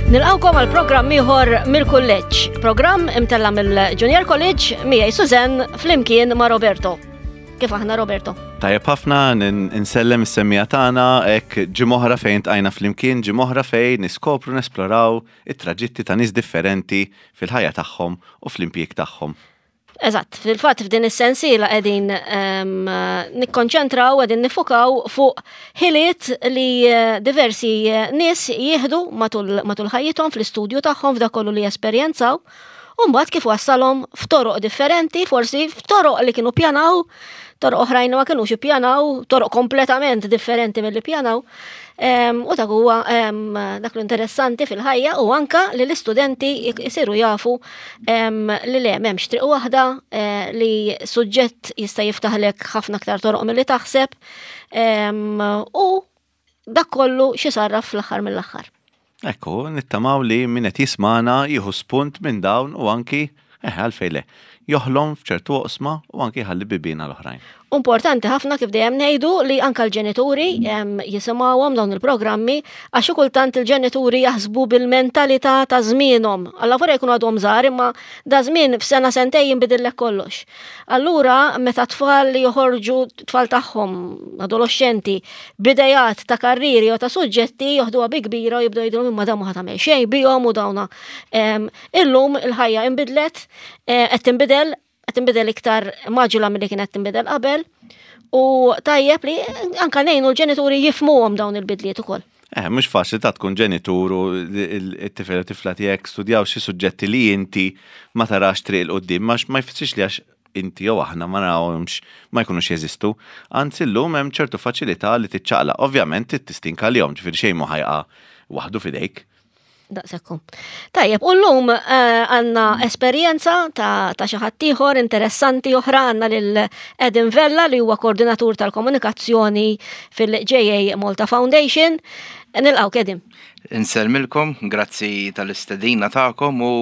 Nilqawkom għal programm ieħor mill-kulleġġ, programm imtella mill-Junior College miegħi Susan flimkien ma' Roberto. Kif aħna Roberto? Tajjeb ħafna nsellem is-semmija tagħna hekk ġimgħa fejn tqajna flimkien, ġimgħa fejn niskopru nesploraw it-traġitti ta' nies differenti fil-ħajja tagħhom u fl-impjieg tagħhom. Eżatt, fil-fatt f'din is-sensiela qegħdin ehm, nikkonċentraw qegħdin nifukaw fuq ħiliet li eh, diversi eh, nies jieħdu matul ħajjithom fl-istudju tagħhom f'dak kollu li jesperjenzaw. U mbagħad kif wassalhom f'toroq differenti, forsi f'toroq li kienu pjanaw, toroq oħrajn ma kinux ippjanaw, toroq kompletament differenti milli pjanaw. U dak huwa dak l-interessanti fil-ħajja u anka li l-istudenti jisiru jafu li le m'hemmx triq waħda eh, li suġġett jista' jiftaħlek ħafna aktar toroq milli taħseb u dak kollu xi sarraf fl-aħħar mill-aħħar. Ekku, nittamaw li min qed jismana jieħu spunt minn dawn u anki, eh, għalfejn le, joħlom f'ċertu oqsma u anki jħalli bibien għal oħrajn. Importanti ħafna kif dejjem ngħidu li anka l-ġenituri jisimgħuhom dawn il-programmi għax xi kultant il-ġenituri jaħsbu bil-mentalità ta' żmienhom. Alla vorja jkunu għadhom żgħar imma da żmien f'sena sentej jinbidillek kollox. Allura meta tfal li joħorġu tfal tagħhom adoloxxenti b'idejat ta' karrieri jew ta' suġġetti joħduha bi kbira u jibdew jgħidulhom imma dawn ma tagħmel xejn bihom u dawna. Illum il-ħajja inbidlet, eh, qed tinbidel, qed tinbidel iktar maġula milli kienet tinbidel qabel u tajjeb li anka ngħinu l-ġenituri jifmuhom dawn il-bidliet ukoll. Eh, mhux faċli ta' tkun ġenitur u t-tifel u tifla tiegħek studjaw xi suġġetti li inti ma tarax triq 'il quddiem, ma jfissirx li għax inti jew aħna ma narawhomx ma jkunux jeżistu. Anzi llum hemm ċertu faċilità li tiċċaqlaq. Ovvjament trid tistinka għalihom, ġifieri xejn mhu ħa jaqa' waħdu f'idejk. Daqshekk hu. Tajjeb, u llum eh, għandna esperjenza ta' ta' xi ħadd ieħor interessanti oħra għandna lil Adam Vella li huwa koordinatur tal-komunikazzjoni fil-JA Malta Foundation. Nilqgħu Edim. Insellmilkom, grazzi tal-istedina tagħkom u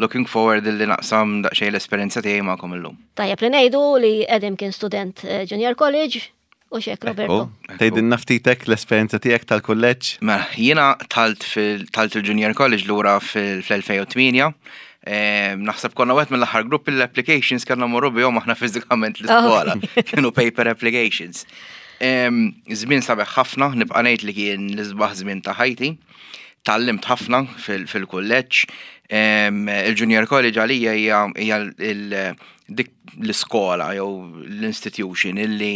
looking forward li naqsam daqsxejn l-esperjenza tiegħi magħkom illum. Tajjeb li ngħidu li Edim kien student eh, Junior College u xek Roberto. Tgħidilna ftitek l-esperjenza tiegħek tal-kulleġġ? Mela, jiena talt fil-talt il-Junior College lura fil-2008. Naħseb konna wieħed mill-aħħar gruppi l-applications kellna morru bihom aħna fiżikament l-iskola. Kienu paper applications. Żmien sabiħ ħafna, nibqa' ngħid li kien l-isbaħ żmien ta' ħajti. Tgħallimt ħafna fil-kulleġġ. Il-Junior College għalija hija dik l-iskola jew l-institution illi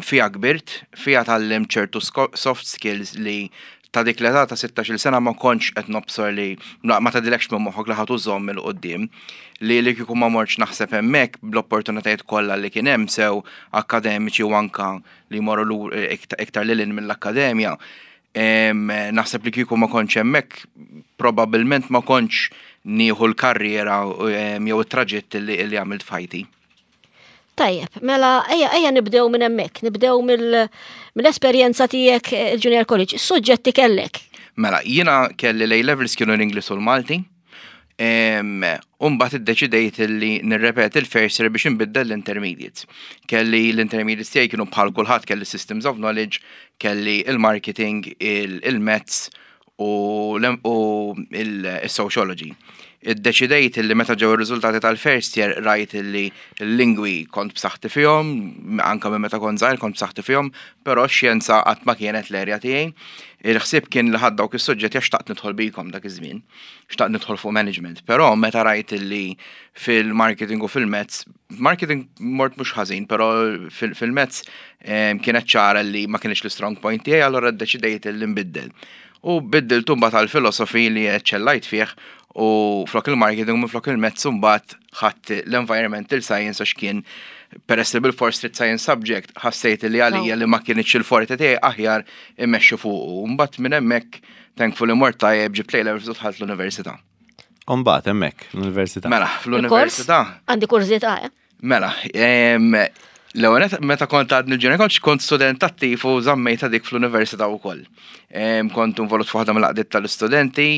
fiha kbirt, fiha tgħallimt ċertu soft skills li ta' dik l-età ta' 16-il sena ma kontx qed nobsor li ma tgħaddilekx minn moħħok li ħa tużhom 'il quddiem. Li li kieku ma mortx naħseb hemmhekk bl-opportunitajiet kollha li kien hemm sew akkademiċi u anka li jmorru iktar lil hinn mill-akkademja, naħseb li kieku ma kontx hemmhekk probabbilment ma kontx nieħu l-karriera jew it-traġitt li għamilt f'ħajti. Tajjeb, mela ejja ejja nibdew minn hemmhekk, nibdew mill-esperjenza tiegħek eh, il-Junior College. Suġġetti kellek? Mela, jiena kelli l levels kienu l-Ingliż u l-Malti. Umbagħad iddeċidejt li nirrepeti l-first year biex nbiddel l-intermediates. Kelli l-intermediates tiegħi kienu bħal kulħadd kelli systems of knowledge, kelli il-marketing, il-maths u il-sociology. Iddeċidejt li meta ġew ir-riżultati tal-first year rajt li l-lingwi kont b'saħħti fihom, anka minn meta kont żgħir kont b'saħħti fihom, però x-xjenza qatt ma kienet l-erja tiegħi. Il-ħsieb kien li ħadt dawk is-suġġetti għax xtaqt nidħol bikom dak iż-żmien. Xtaqt nidħol fuq management, però meta rajt li fil-marketing u fil-maths, marketing mort mhux ħażin, però fil-maths kienet ċara li ma kienx l-strong point tiegħi, allura ddeċidejt li nbiddel. U biddiltu mbagħad għal philosophy li eċċellajt fih u flok il-marketing u minflok il-maths mbagħad ħadt l-environmental science għax kien peress li bil-fors trid science subject ħassejt li għalija li ma kienx il-forte tiegħi aħjar immexxi fuqu. Mbagħad minn hemmhekk thankfully mort tajjeb ġibt A levels u dħalt l-università. U mbagħad hemmhekk l-università. Mela, fl-università. Għandi kurżità, eh? Mela, L-ewwel meta kont għadni l-junior college kont student attiv u żammejta dik fl-università wkoll. Kont involut f'waħda mill-għaqdiet tal-istudenti,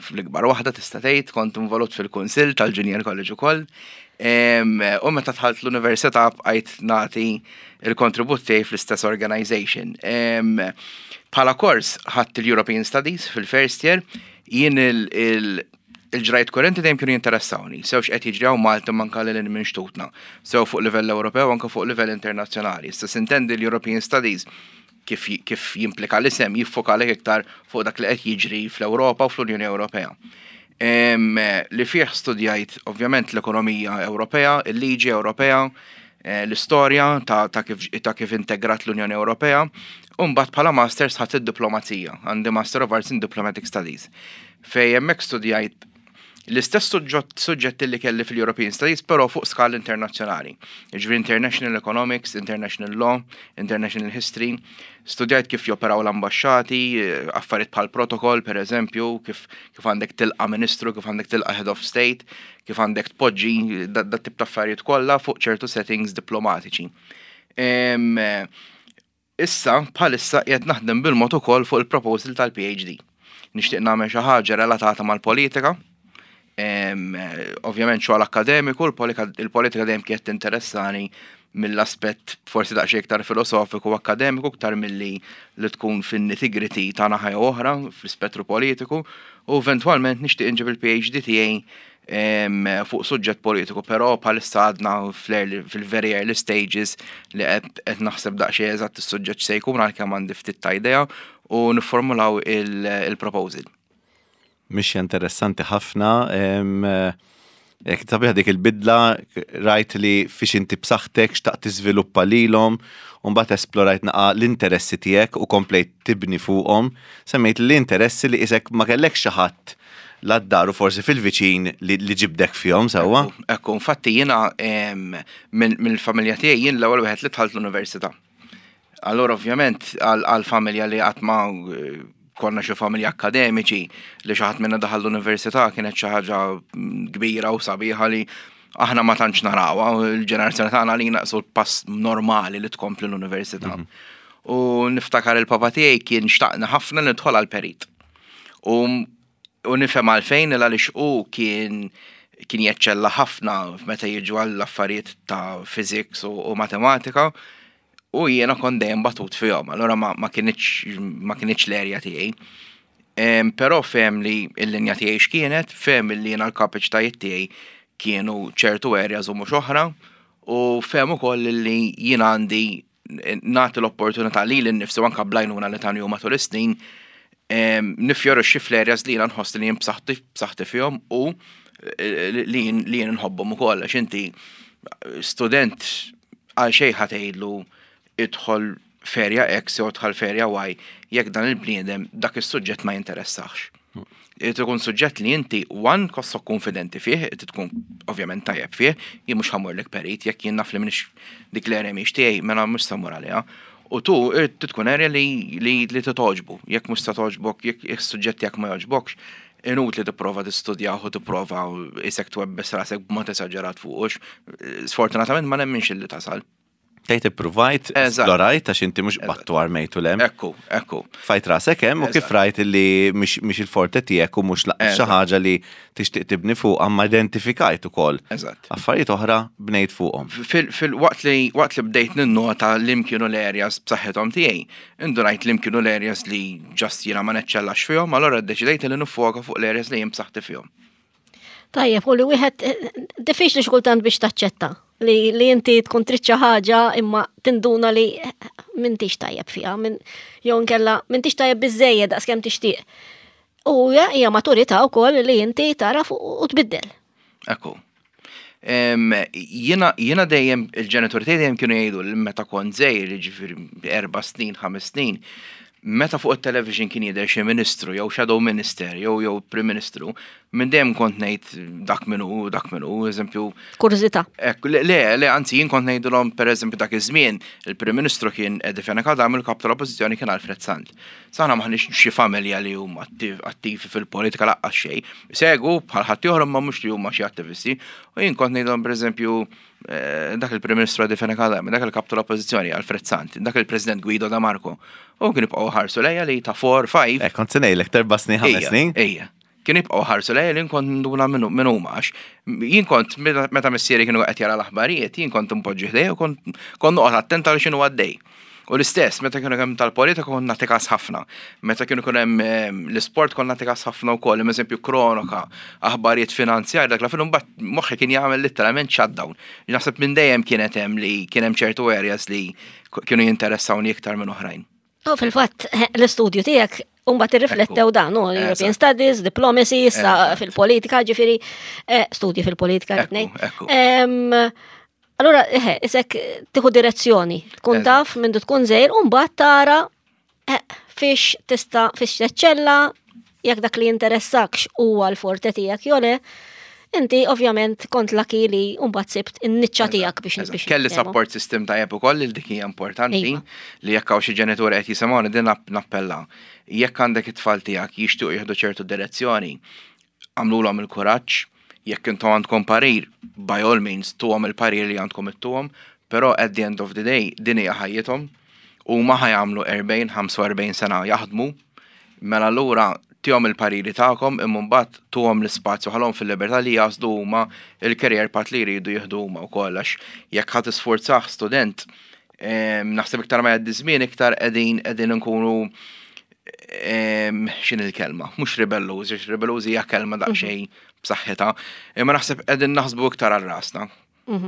fl-ikbar waħda tista' tgħid, kont involut fil-kunsill tal-junior college ukoll. U meta dħalt l-università bqajt nagħti il-kontribut tiegħi fl-istess organization. Bħala kors ħadt il-European Studies fil-first year, jien il-ġrajt kurrenti dejjem kienu jinteressawni, sew x'qed jiġri hawn Malta manka lil minn xtutna, sew fuq livell Ewropew anke fuq livell internazzjonali. Issa sintendi l-European Studies kif, kif jimplika l-isem jiffokalek iktar fuq dak li qed jiġri fl-Ewropa u fl-Unjoni Ewropea. Li fih studjajt ovvjament l-ekonomija Ewropea, il-liġi Ewropea, l-istorja ta' kif, ta' kif integrat l-Unjoni Ewropea, u mbagħad bħala masters ħadt id-diplomazija, għandi Master of Arts in Diplomatic Studies. Fej hemmhekk studjajt l-istess suġġetti li kelli fil-European Studies, però fuq skala internazzjonali. Jiġifieri International Economics, International Law, International History. Studjajt kif joperaw l-ambasċati, affarijiet bħal protocol, per eżempju, kif għandek tilqa ministru, kif għandek tilqa head of state, kif għandek tpoġġi dat tip ta' affarijiet kollha fuq ċertu settings diplomatiċi. Issa, bħalissa qiegħed naħdem bil-mod ukoll fuq il-proposal tal-PhD. Nixtieq nagħmel xi ħaġa relatata mal-politika. Ovvjament xogħol akkademiku, il-politika dejjem kienet tinteressani mill-aspett forsi daqsxejn iktar filosofiku u akkademiku iktar milli li tkun fin-nitty-gritty ta' naħa jew oħra fl-ispettru politiku u eventwalment nixtieq inġib il-PhD tiegħi fuq suġġett politiku, però bħalissa għadna fil-very early stages li qed naħseb daqsxejn eżatt is-suġġett se jkun għalkemm għandi ftit ta' idea u niformulaw il-proposal. Mixja interessanti ħafna. Jekk sabiħa dik il-bidla, rajt li fiex inti b'saħħtek xtaqt tiżviluppa lilhom, u mbagħad esplorajt naqa l-interessi tiegħek u komplejt tibni fuqhom. Semmejt l-interessi li isek ma kellek xi ħadd lad-dar u forsi fil-viċin li ġibdek fihom sewwa. Ekku, infatti jiena mill-familja tiegħi jien l-ewwel wieħed li dħalt l-università. Allora ovvjament għal-familja li qatt ma konna xi familja akademiċi li xi ħadd minna daħal l-università kienet xi ħaġa kbira u sabiħa li aħna ma tantx narawha, il-ġenerazzjoni tagħna li naqsu l-pass normali li tkompli l-università. U niftakar il-papa tiegħi kien xtaqna ħafna nidħol għal perit. U nifhem għalfejn għaliex u kien jeċċella ħafna meta jiġu għall affarijiet ta' physics u matematika u jiena kont dejjem batut fihom, allura ma kinitx l-area tiegħi. Però fehem li l-linja tiegħi x'kienet, fehem li jiena l-kapaċitajiet tiegħi kienu ċertu areas u mhux oħra, u fehem ukoll li jiena għandi nagħti l-opportunità li l-nifsi anka bl-għajnuna li tani matul is-snin nifjorixxi fl-areas li jiena nħoss li jien b'saħħti fihom u li jien nħobbhom ukoll għax inti student għal xejn ħa tgħidlu idħol f'area X jew idħol f'area Y jekk dan il-bniedem dak is-suġġett ma jinteressax. Irid ikun suġġett li inti one tħossok konfidenti fih, irid tkun ovvjament tajjeb fih, jien mhux ħa mmurlek perit, jekk jien naf li m'iniex dik l-area mhix tiegħi, mela mhux se mmur għaliha. U tu irid tkun area li togħġbu, jekk mhux se togħġbok, jekk is-suġġett tiegħek ma jogħġbokx, inutli tipprova tistudjah u tipprova isek twebbes rasek b'mod esaġerat fuqux. Sfortunatament ma nemminx illi tasal. Tgħid ippruvajt, esplorajt għax inti mhux battu armejtu lem. Ekku. Fajt rasek hemm u kif rajt li mhix il-forte tiegħek u mhux xi ħaġa li tixtieq tibni fuq ma identifikajt ukoll. Affarijiet oħra bnejt fuqhom. Fil-waqt li waqt li bdejt ninnota li kienu l-areas b'saħħithom tiegħi, indunajt li kienu l-areas li just jiena ma neċċellax fihom, allura ddeċidejt li nifoka fuq l-areas li jien b'saħħti fihom. Tajjeb, u li wieħed diffiċli xkultant biex taċċetta li inti tkun trid xi ħaġa imma tinduna li m'intix tajjeb fiha, jew inkella m'intix tajjeb biżejjed daqskemm tixtieq. U hija maturità wkoll li inti taraf u tbiddel. Ekku. Jiena dejjem il-ġenitori tiegħi dejjem kienu jgħidu li meta kont żgħir, jiġifieri 4 snin, 5 snin, meta fuq it-television kien jidher xi ministru jew shadow minister jew prim ministru, minn dejjem kont ngħid dak minnu, dak minnu, eżempju. Kurżità. Le, anzi jien kont ngħidulhom pereżempju dak iż-żmien il-Prim Ministru kien Eddie Fenech Adami, il-kap tal-Oppożizzjoni kien Alfred Sant. Aħna m'aħniex xi familja li huma attivi fil-politika laqqas xejn. Segu bħal ħadd ieħor ma mhux li huma xi attivisti. U jien kont ngħidulhom pereżempju Dak il-Prim Ministru Eddie Fenech Adami, dak il-Kap tal-Oppożizzjoni Alfred Sant, dak il-President Guido De Marco. U kien jibqgħu ħarsu lejja li ta' 4, 5. Eh, kont se ngħidlek terba' snin, ħames snin. Ejja. Kien jibqgħu ħarsu lejja li nkont nduna minn huma għax jien kont meta missieri kienu qed jara l-aħbarijiet, jien kont impoġġi ħdejja u kont kont noqgħod attent għal x'inhu għaddej. U l-istess, meta kienu hemm tal-politika kont nagħti kas ħafna. Meta kienu kun hemm l-isport kont nagħti kas ħafna wkoll, eżempju kronoka, aħbarijiet finanzjarji, dak la fil mbagħad moħħi kien jagħmel litteralment shutdown. Naħseb minn dejjem kienet hemm li kien hemm ċertu areas li kienu jinteressawni iktar minn oħrajn. U fil-fatt, l-istudju tiegħek Umbat irriflettew dan, u European Studies, Diplomacy, issa fil-politika, ġifiri, studji fil-politika, Allura, eħe, isek tieħu direzzjoni, tkun taf minn tkun żgħir u mbagħad tara eh, fiex tista' fiex teċċella jekk dak li jinteressakx huwa l-forte tiegħek jew le, inti ovvjament kont laki li mbagħad sibt in-niċċa tiegħek biex biex. Kelli support system tajjeb ukoll li dik hija importanti iva. li jekk hawn xi ġenituri qed jisimgħuni din nappella. Jekk għandek it-tfal tiegħek jixtiequ jieħdu ċertu direzzjoni, għamlulhom il-kuraġġ, jekk intom għandkom parir, by all means, tuhom il-parir li għandkom ittuhom, però at the end of the day, din hija ħajjithom, huma ħa jagħmlu 40, 45 sena jaħdmu, mela allura tihom il-pariri tagħkom imma mbagħad tuhom l-ispazju ħallhom fil-libertà li jagħżlu huma il-career path li jridu jieħdu huma wkoll għax jekk ħa tisfurzah student naħseb iktar ma jgħaddi żmien iktar qegħdin qegħdin nkunu x'inhi l-kelma, mhux ribellużi, għax ribellużi hija kelma daqsxejn b'saħħitha, imma naħseb qegħdin naħsbu iktar għal rasna,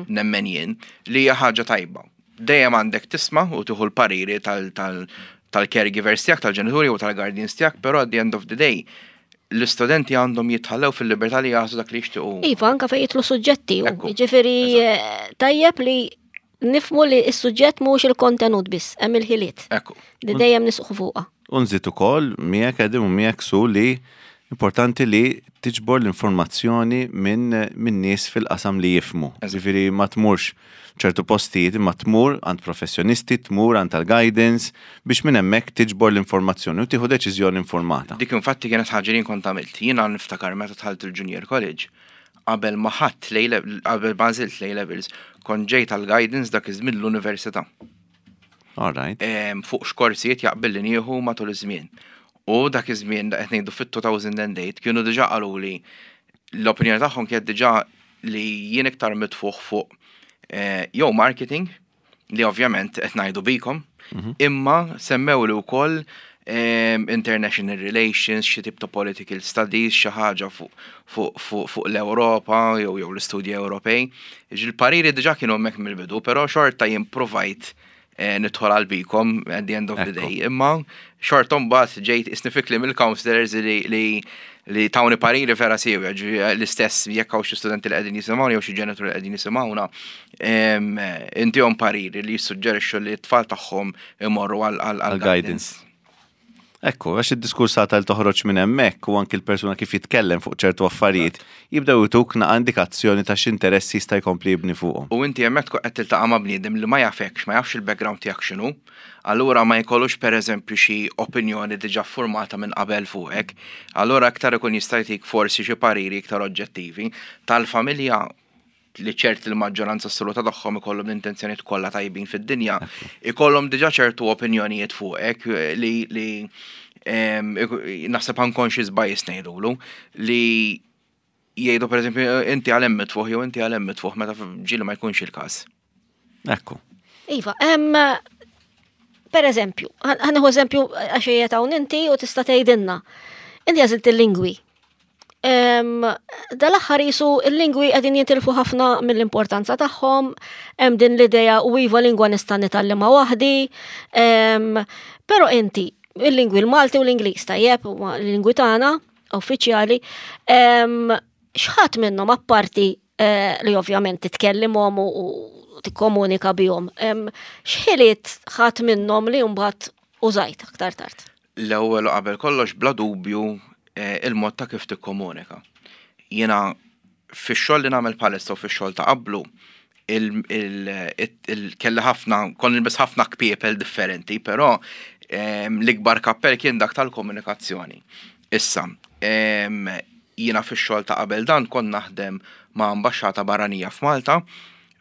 nemmen jien, li hija ħaġa tajba. Dejjem għandek tisma' u tieħu l-pariri tal-caregivers tiegħek, tal-ġenituri u tal-guardians tiegħek, però at the end of the day, l-istudenti għandhom jitħallew fil-libertà li jagħżlu dak li jixtiequ. Iva, anka fejn jidħlu suġġetti. Jiġifieri tajjeb li nifhmu li s-suġġett mhux il-kontenut biss, hemm il-ħiliet. Ekku. Li dejjem nisqu fuqha. U nżid ukoll miegħek Edim u miegħek Su li importanti li tiġbor l-informazzjoni minn min nies fil-qasam li jifhmu. Ġifieri ma tmurx ċertu postijiet imma tmur għand professjonisti, tmur għand tal-guidance biex minn hemmhekk tiġbor l-informazzjoni u tieħu deċiżjoni informata. Dik infatti kienet ħaġa li kont għamilt. Jiena niftakar meta dħalt il-Junior College, qabel ma ħadt qabel ma nżilt l levels, kont ġejt għal guidance dak iż-żmien l-università. All right. Fuq x'korsijiet jaqbel li nieħu matul iż-żmien. U dak iż-żmien qed ngħidu fit-2008 kienu diġà qaluli l-opinjoni tagħhom kienet diġà li jien iktar mitfuħ fuq jew marketing li ovvjament qed ngħidu bikom, imma semmew li wkoll international relations, xi tip ta' political studies, xi ħaġa fuq l-Ewropa jew l-istudji Ewropej. Il-pariri diġà kienu hemmhekk mill-bidu, però xorta jien provajt nidħol għal BCom at the end of the day. Imma xorta mbagħad ġejt isnifikli mill-counselors li tawni pariri vera siewja, l-istess jekk hawn xi studenti li qegħdin jisimgħuna jew xi ġenituri li qegħdin jisimgħuna, intihom pariri li jissuġġerixxu li t-tfal tagħhom imorru għal guidance. Ekku, għax id-diskursata li toħroġ minn hemmhekk u anki l-persuna kif jitkellem fuq ċertu affarijiet, jibdew jtuk naqa indikazzjoni ta' x'interessi jista' jkompli jibni fuqhom. U inti hemmhekk tkun qed tiltaqa' ma' bniedem li ma jafekx, ma jafx il-background tiegħek x'inhu, allura ma jkollux pereżempju xi opinjoni diġà formata minn qabel fuqek, allura aktar ikun jista' jtik forsi xi pariri iktar oġġettivi tal-familja li ċert il-maġġoranza assoluta tagħhom ikollhom l-intenzjonijiet kollha tajbin fid-dinja, ikollhom diġà ċertu opinjonijiet fuqek li naħseb unconscious bias ngħidulu li jgħidu pereżempju inti għal hemm mitfuħ jew inti għal hemm mitfuħ meta ġieli ma jkunx il-każ. Ekku. Iva, per eżempju, ħa nieħu eżempju għax qiegħed hawn inti u tista' tgħidilna. Inti għażilt il-lingwi. Dal-aħħar jisu il-lingwi qegħdin jitilfu ħafna mill-importanza tagħhom, hemm din l-idea u iva lingwa nista' nitgħallimha waħdi, però inti il-lingwi l-Malti u l-Ingliż tajjeb, l-lingwi tagħna uffiċjali, x'ħadd minnhom apparti li ovvjament titkellimhom u tikkomunika bihom, x'ħiliet ħadd minnhom li mbagħad użajt aktar tard? L-ewwel u qabel kollox bla dubju il-mod ta' kif tikkomunika. Jiena fix-xogħol li nagħmel bħalissa u fix-xogħol ta' qablu kelli ħafna, kont nilbes ħafna kpiepel differenti, però l-ikbar kappell kien dak tal-komunikazzjoni. Issa, jiena fix-xogħol ta' qabel dan kont naħdem ma' ambaxxata barranija f'Malta.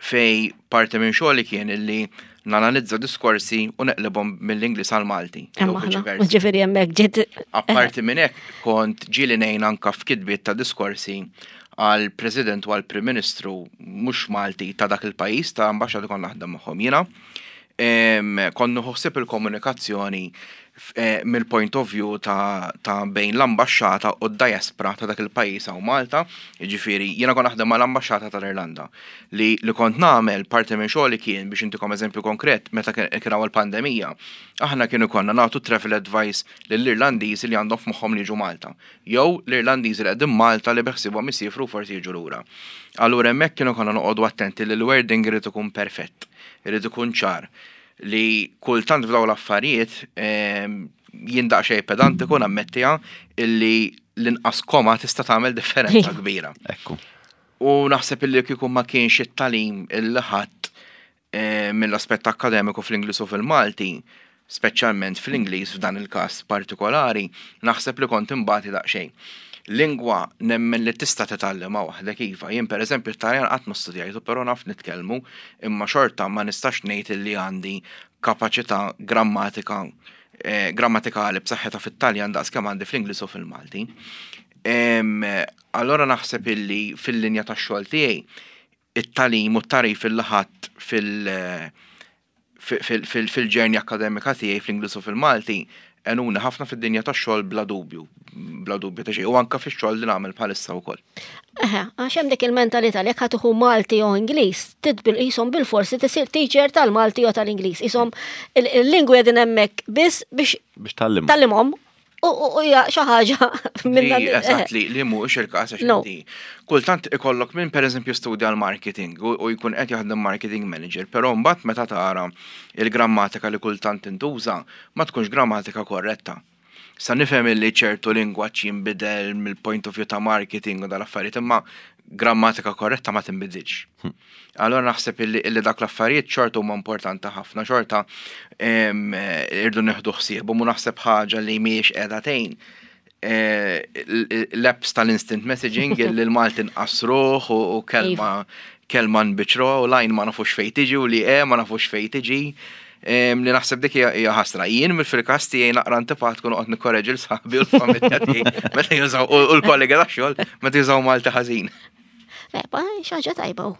Fejn parti minn xogħli kien illi nanalizza diskorsi u neqlibhom mill-Ingliż għal Malti. Ġifieri hemmhekk ġiet. Apparti minn hekk kont ġieli ngħin anka f'kitbiet ta' diskorsi għal President u għal Prim Ministru mhux Malti ta' dak il-pajjiż ta' ambaxxati kont naħdem magħhom jiena. Kont nieħu ħsieb il-komunikazzjoni mill-point of view ta' bejn l-ambaxxata u d-diaspora ta' dak il-pajjiż hawn Malta, jiġifieri jiena kont naħdem mal-ambaxxata tal-Irlanda. Li kont nagħmel parti minn xogħli kien biex intikom eżempju konkret meta kien hawn il-pandemija, aħna kien ikollna nagħtu travel advice lill-Irlandiżi li għandhom f'moħħhom li jiġu Malta. Jew l-Irlandiżi li qegħdin Malta li beħsiebhom isifru forsi jiġu lura. Allura hemmhekk kienu konna noqogħdu attenti li l-wording irid ikun perfett, irid ikun ċar li kultant f'dawn l-affarijiet jien daqsxejn pedantiku nammettiha illi l-inqas koma tista' tagħmel differenza kbira. Ekku. U naħseb illi kieku ma kienx it-tagħlim illi ħadd mill-aspett akkademiku fl-Ingliż u fil-Malti, speċjalment fl-Ingliż f'dan il-każ partikolari, naħseb li kont imbati daqsxejn. Lingwa nemmen li tista' titgħallimha waħdek iva. Jien pereżempju t-Taljan qatt ma studjajtu, però naf nitkellmu, imma xorta ma nistax ngħid illi għandi kapaċità grammatika grammatikali b'saħħitha fit-Taljan daqs kemm għandi fl-Ingliż u fil-Malti. Allora naħseb illi fil-linja tax-xogħol tiegħi it-tagħlim u t-tagħrif illi ħadt fil-journey akkademika tiegħi fl-Ingliż u fil-Malti għenuni ħafna fid-dinja tax-xogħol bla dubju, bla dubju ta' xejn, u anke fix-xogħol li nagħmel bħalissa wkoll. Eħe, għax hemm dik il-mentalità li jekk ħa tieħu Malti jew Ingliż, titbil qishom bilforsi tisir teacher tal-Malti jew tal-Ingliż. Qishom il-lingwi qegħdin hemmhekk biss biex biex tgħallimhom. Tgħallimhom u hija xi ħaġa minn Eżatt li mhuwiex il-każ għax inti kultant ikollok min pereżempju studja l-marketing u jkun qed jaħdem marketing manager, però mbagħad meta tara il-grammatika li kultant tintuża ma tkunx grammatika korretta. Sa nifhem li ċertu lingwaġġ jinbidel mill-point of view ta' marketing u dal-affarijiet, imma grammatika korretta ma tinbidilx. Allora naħseb illi dak l-affarijiet xorta huma importanti ħafna, xorta irdu nieħdu ħsiebhom u naħseb ħaġa li mhijiex qiegħda tgħin l-apps tal-instant messaging illi l-Malti nqassruh u kelma nbiċru u lajn ma nafux fejn tiġi u li e ma nafux fejn tiġi. Li naħseb dik hija ħasra. Jien mill-fil-każ tiegħi naqra antipatku noqgħod nikkoreġi 'l sħabi u l-familja tiegħi meta jużaw u l-kollega tax-xogħol meta jużaw Malti ħażin. Eba, xi ħaġa tajba.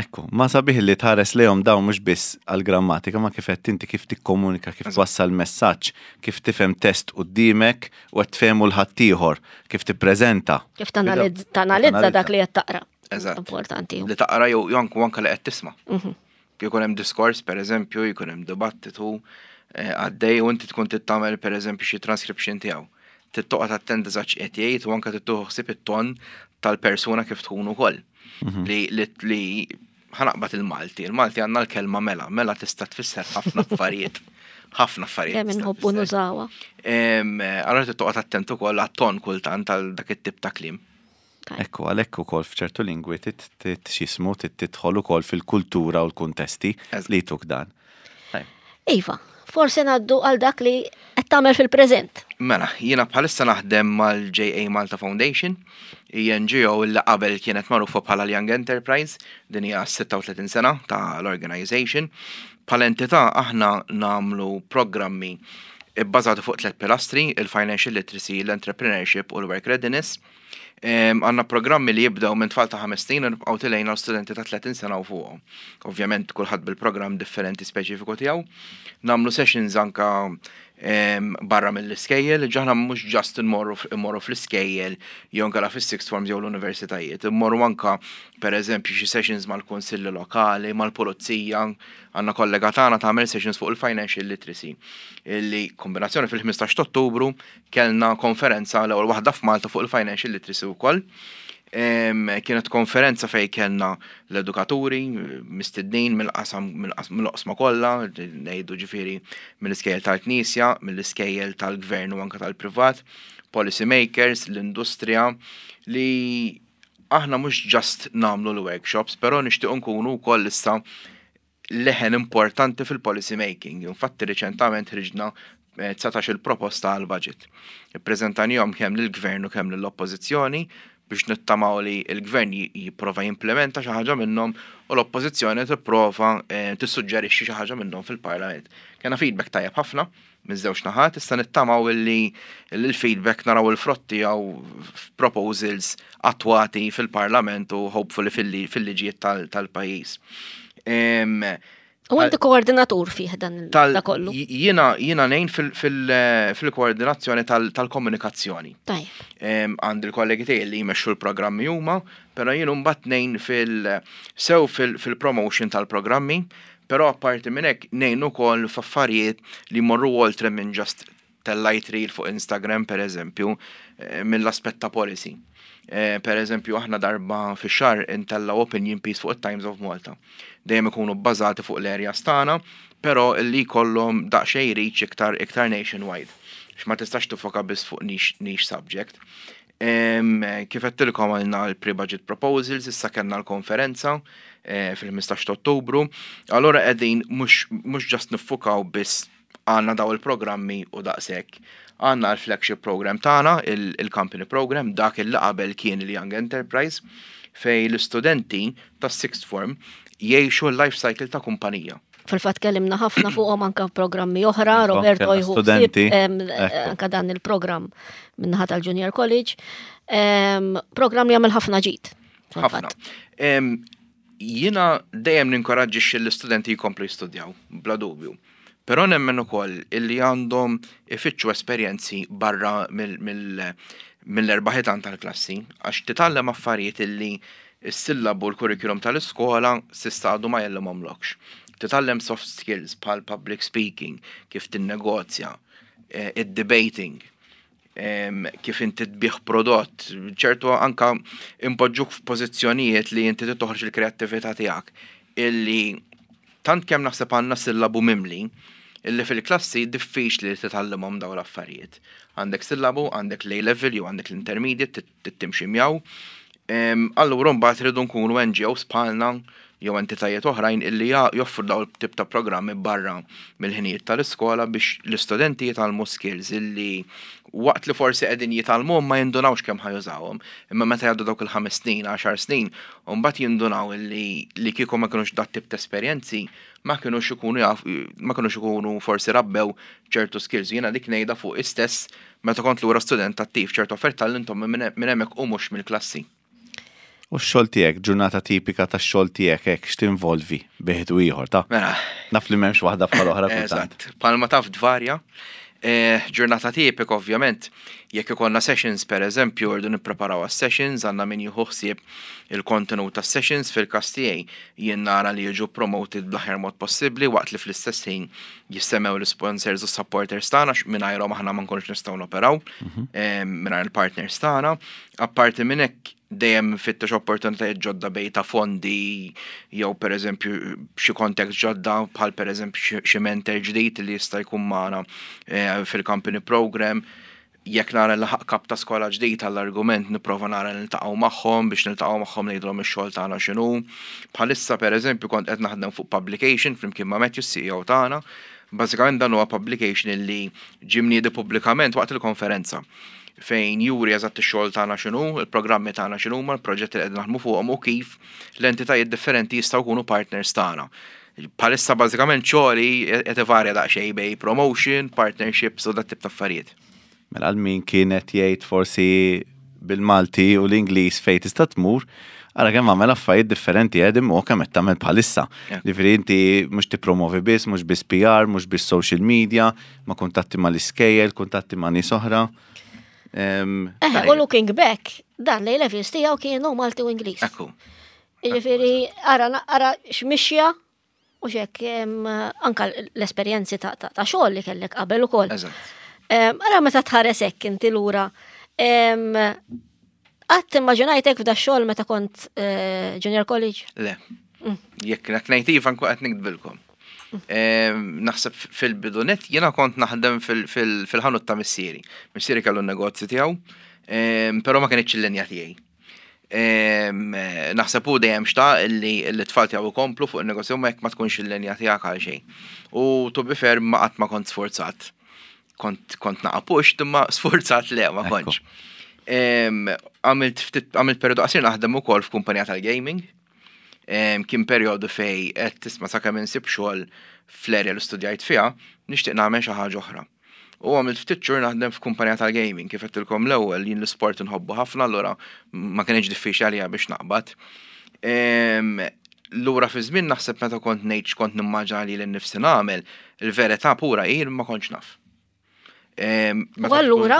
Ekku, ma sabiħ li tħares lejhom dawn mhux biss għall-grammatika, ma kif qed inti kif tikkomunika, kif twassal messaġġ, kif tifhem test quddiemek u qed tfehmu 'l ħaddieħor, kif tippreżenta. Kif tanalizza dak li qed taqra. Eżatt. Importanti. Li taqra jew anke li qed tisma'. Jkun hemm diskors, pereżempju, jkun hemm dibattitu għaddej u inti tkun trid tagħmel pereżempju xi transcription tiegħu. Trid toqgħod attent eżatt x'qed jgħid u anke trid tieħu ħsieb it-ton tal-persuna kif tkun ukoll. Li ħa naqbad il-Malti, il-Malti għandna l-kelma mela, mela tista' tfisser ħafna affarijiet. Ħafna affarijiet. Kemm inħobbu nużawha. Allora trid toqgħod attent ukoll għat-ton kultant għal dak it-tip ta' kliem. Ekku, għalhekk ukoll f'ċertu lingwi x'jismu tidħol ukoll fil-kultura u l-kuntesti li tuk dan. Iva, forsi ngħaddu għal dak li qed tagħmel fil-preżent. Mela, jiena bħalissa naħdem mal-JA Malta Foundation, hija NGO li qabel kienet magħrufa bħala l-Young Enterprise, din hija 36 sena ta' l-organization. Bħala entità aħna nagħmlu programmi bbażati fuq tliet pilastri, il-financial literacy, l-entrepreneurship u l-work readiness. Għandna programmi li jibdew minn tfal ta' 5 snin u nibqgħu tilgħin għal studenti ta' 30 sena u fuqhom. Ovvjament kulħadd bil-programm differenti speċifiku tiegħu. Nagħmlu sessions anka barra mill-iskejjel, aħna mhux just immorru fl-iskejjel jew anka fis-sixth forms jew l-universitajiet, immorru anka pereżempju xi sessions mal-kunsilli lokali, mal-pulizija, għandna kollega tagħna tagħmel sessions fuq il-financial literacy. Illi kombinazzjoni fil-15 Ottubru kellna konferenza l-ewwel waħda f'Malta fuq il-financial literacy wkoll. Kienet konferenza fej kellna l-edukaturi, mistednin mill-qasam mill-oqsma kollha, ngħidu ġifieri mill-iskejjel tal-Knisja, mill-iskejjel tal-gvern u anke tal-privat, policy makers, l-industrija, li aħna mhux just nagħmlu l-workshops, però nixtiequ nkunu wkoll issa leħen importanti fil-policy making. Infatti riċentament ħriġna 19 il-proposta għal budget. Ippreżentajnihom kemm lill-gvern u kemm lill-oppożizzjoni. biex nittamaw li l-gvern jipprova jimplementa xi ħaġa minnhom u l-oppożizzjoni tipprova eh, tissuġġerixxi xi ħaġa minnhom fil-Parlament. Kellna feedback tajjeb ħafna miż-żewġ naħat, issa nittamaw li l-feedback naraw il-frott tiegħu f'proposals attwati fil-Parlament u hopefully fil-liġijiet tal-pajjiż. U inti koordinatur fih dan da kollu. Jiena jiena ngħin fil-koordinazzjoni tal-komunikazzjoni. Għandi l-kollegi tiegħi li jmexxu l-programmi huma, però jien mbagħad ngħin fil sew fil-promotion tal-programmi, però apparti minn hekk ngħin ukoll f'affarijiet li jmorru oltre minn just tellajt reel fuq Instagram per eżempju, eh, mill-aspett ta' policy. Eh, per eżempju, aħna darba fix-xahar intellgħu opinion piece fuq it-Times of Malta. Dejjem ikunu bbażati fuq l-areas tagħna, però li jkollhom daqsxejn reach iktar iktar nationwide. X'ma tistax tifoka biss fuq niche, niche subject. Kif għedtilkom għalna l-pre-budget proposals, issa kellna l-konferenza eh, fil-15 ta' Ottubru. Allora qegħdin mhux just niffukaw biss għandna daw il-programmi u daqshekk. Għandna l-flagship program tagħna, il-company program, dak il qabel kien il-Young Enterprise, fej l-istudenti tas-sixth form jgħixu l-life cycle ta' kumpanija. Fil-fatt kellimna ħafna fuqhom anka programmi oħra, Roberto jieħu studenti. Anka dan il-programm minnaħa tal-Junior College. Programm li jagħmel ħafna ġid. Ħafna. Jiena dejjem ninkoraġġixxi l-istudenti jkomplu jistudjaw, bla dubju. Però nemmen ukoll illi għandhom ifittxu esperjenzi barra mill-erba' ħitan tal-klassi, għax titgħallem affarijiet illi s-sillabu u l-curriculum tal-iskola s'issa għadu ma jgħallimhomlokx. Titgħallem soft skills bħal public speaking, kif tinnegozja, id-debating, kif inti tbigħ prodott, ċertu anka impoġġuk f'pożizzjonijiet li inti toħroġ il-kreattività tiegħek illi tant kemm naħseb għandna sillabu mimli illi fil-klassi diffiċli li titgħallimhom dawn l-affarijiet. Għandek sillabu, għandek l-A level jew għandek l-intermediate timxi miegħu. Allura mbagħad rridu nkunu NGOs bħalna jew entitajiet oħrajn illi joffru dawn it-tip ta' programmi barra mill-ħinijiet tal-iskola biex l-istudenti jitgħallmu skills illi waqt li forsi qegħdin jitgħallmuhom ma jindunawx kemm ħa jużawhom. Imma meta jgħaddu dawk il-5 snin, 10 snin, u mbagħad jindunaw illi li kieku ma kinux dat tip ta' esperjenzi ma kinux ikunu jaf, ma kinux ikunu forsi rabbew ċertu skills. Jiena dik ngħidha fuq istess meta kont lura student attiv, ċertu affarijiet tgħallimthom minn hemmhekk u mhux mill-klassi. U x-xogħol tiegħek, ġurnata tipika tax-xogħol tiegħek hekk x'tinvolvi bejn u ieħor ta'? Mela. Naf li m'hemmx waħda bħal oħra kultant. Eżatt. Bħalma taf tvarja. Eh, ġurnata tipika ovvjament, jekk ikollna sessions per eżempju, rridu nippreparaw għas-sessions, għandna min jieħu ħsieb il-kontenut tas-sessions fil-każ tiegħi jien nara li jiġu promoted bl-aħjar mod possibbli waqt li fl-istess ħin jissemmew l-sponsors u supporters tagħna mingħajrhom aħna ma nkunux nistgħu noperaw mhm. eh, mingħajr il-partners tagħna. Apparti minn hekk dejjem fittex opportunitajiet ġodda bej ta' fondi jew pereżempju xi context ġodda bħal pereżempju xi mentor ġdid li jista' jkun magħna eh, fil-company program. Jekk nara laħaq kap ta' skola ġdid għall-argument nipprova nara niltaqgħu magħhom biex niltaqgħu magħhom ngħidulhom ix-xogħol tagħna x'inhu. Bħalissa pereżempju kont qed naħdem fuq publication flimkien ma' Matthew CEO tagħna. Bażikament dan huwa publication illi ġie mniedi pubblikament waqt il-konferenza fejn juri eżatt ix-xogħol tagħna x'inhu, il-programmi tagħna x'inhuma, il-proġetti li qegħdin naħdmu fuqhom u kif l-entitajiet differenti jistgħu jkunu partners tagħna. Bħalissa bażikament xogħli qed ivarja daqsxejn bej promotion, partnerships u dat tip ta' affarijiet. Mela għal min kien qed jgħid forsi bil-Malti u l-Ingliż fejn tista' tmur, ara kemm għamel affarijiet differenti qegħdin u kemm qed tagħmel bħalissa. Ġifieri inti mhux tippromovi biss, mhux biss PR, mhux biss social media, ma kuntatti mal-iskejjel, kuntatti ma' nies oħra. Eh, u looking back, dan l levels tiegħu kienu Malti u Ingliż. Ekku. Jiġifieri ara ara x'mixja u xek anka l-esperjenzi ta' xogħol li kellek qabel ukoll. Ara meta tħares hekk inti lura. Qatt immaġinajtek f'da xogħol meta kont eh, junior college? Le. Mm. Jekk ngħid iva nkun qed nikdbilkom. Naħseb fil-bidu net jiena kont naħdem fil-ħanut ta' missieri. Missieri kellu n-negozju tiegħu, però ma kienx il-linja tiegħi. Naħseb hu dejjem xtaq li l-tfal tiegħu jkomplu fuq in-negozju ma jekk ma tkunx il-linja tiegħek għal xejn. U to be fair ma qatt ma kont sforzat. Kont kont naqa' pushed imma sforzat le ma kontx. Għamilt ftit għamilt periodu qasir naħdem ukoll f'kumpanija tal-gaming. Kien periodu fej qed tisma' sakemm insib xogħol fl-area li studjajt fiha, nixtieq nagħmel xi ħaġa oħra. U għamilt ftit xhur naħdem f'kumpanija tal-gaming, kif għedtilkom l-ewwel jien l-isport inħobbu ħafna allura ma kienx diffiċli għalija biex naqbad. Lura fi żmien naħseb meta kont ngħid x'kont nimmaġina li lili nnifsi nagħmel, il-verità pura hi ma kontx naf. U allura,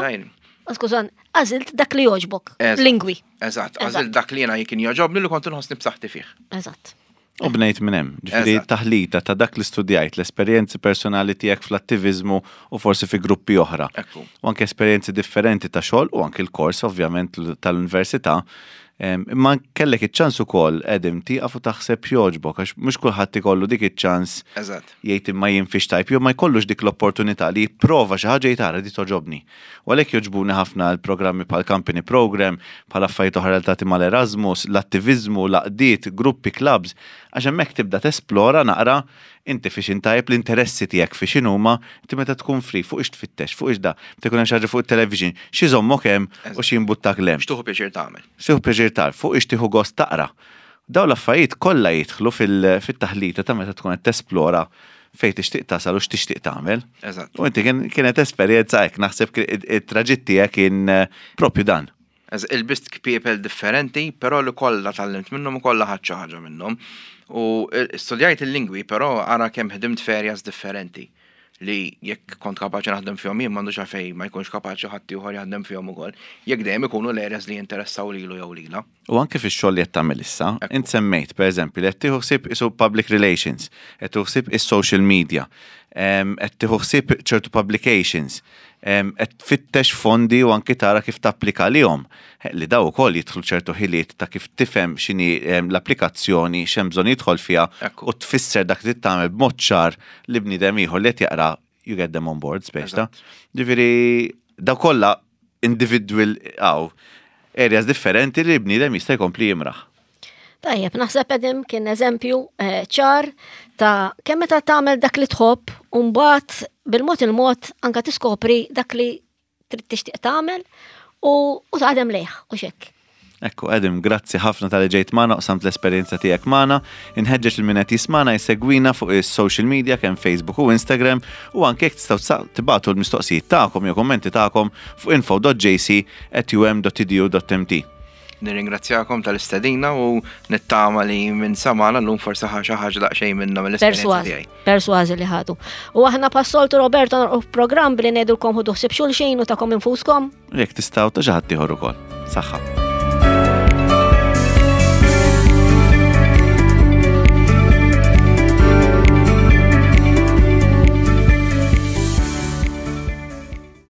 skużan, għażilt dak li jogħġbok, lingwi. Eżatt, għażilt dak li jiena kien jogħġobni li kont inħossni b'saħħti fih. Eżatt. U bnejt minn hemm, ġifieri taħlita ta' dak li studjajt, l-esperjenzi personali tiegħek fl-attiviżmu u forsi fi gruppi oħra. U anke esperjenzi differenti ta' xogħol u anke l-kors ovvjament tal-università. Imma kellek iċ-ċans ukoll Adam tieqaf u taħseb x'jogħġbok għax mhux kulħadd ikollu dik iċ-ċans jgħid imma jien fiex tajb jew ma jkollux dik l-opportunità li jipprova xi ħaġa jgħid ara di togħġobni. U għalhekk jogħġbuni ħafna l-programmi bħal Company Program, bħal affarijiet oħra relatati mal-Erasmus, l-attiviżmu, l-għaqdiet, gruppi, clubs, għax hemmhekk tibda tesplora naqra inti fiex int tajjeb, l-interessi tiegħek fiex inhuma, inti meta tkun free fuq ix tfittex, fuq ix da, meta jkun hemm xi ħaġa fuq it-television, x'iżommok hemm u x'jimbuttak 'l hemm. X'tieħu pjaċir tagħmel. X'tieħu pjaċir tagħmel, fuq ix tieħu gost taqra. Dawn l-affarijiet kollha jidħlu fit-taħlita ta' meta tkun qed tesplora fejn tixtieq tasal u x'tixtieq tagħmel. Eżatt. U inti kienet esperjenza hekk, naħseb it-traġitt tiegħek kien propju dan. Ilbist kpiepel differenti, però li kollha tgħallimt minnhom u kollha ħadt xi ħaġa minnhom. U studjajt il-lingwi, però ara kemm ħdimt f'areas differenti li jekk kont kapaċi naħdem fihom jien m'għandux għalfejn ma jkunx kapaċi ħadd ieħor jaħdem fihom ukoll. Jekk dejjem ikunu l-areas li jinteressaw lilu jew lilha. U anke fix-xogħol li qed tagħmel issa, int semmejt pereżempju li qed tieħu ħsieb isu public relations, qed tieħu ħsieb is-social media, qed tieħu ħsieb ċertu publications, qed tfittex fondi u anki tara kif tapplika għalihom, li daw ukoll jidħlu ċertu ħiliet ta' kif tifhem x'inhi l-applikazzjoni, x'hemm bżonn jidħol fiha u tfisser dak li trid tagħmel b'mod ċar li bniedem ieħor li qed jaqra you get them on board speċi ta'. Ġifieri daw kollha individual għaw areas differenti li bniedem jista' jkompli jimraħ. Tajjeb, naħseb Edim kien eżempju eh, ċar ta' kemm meta tagħmel dak li tħobb u mbagħad bil-mod il-mod anka tiskopri dak li trid tixtieq tagħmel u u taħdem lejh u xekk. Ekku, Adam, grazzi ħafna tal-li ġejt magħna u qsamt l-esperjenza tiegħek magħna. Inħeġġeġ lil min qed jismagħna jsegwina fuq is-social media kemm Facebook u Instagram u anke jekk tistgħu tibagħtu l-mistoqsijiet tagħkom jew kummenti tagħkom fuq info.jc@um.edu.mt. Nirringrazzjakom tal-istedina u nittama li minn samana l-lum forsi ħa xi ħaġa daqsxejn minna mill-esperjenza tiegħi. Persważi li ħadu. U aħna passoltu Roberto norqu programm billi ngħidulkom ħudu ħsieb xulxin u takom infuskom. Jekk tistgħu ta' xi ħadd ieħor ukoll. Saħħa.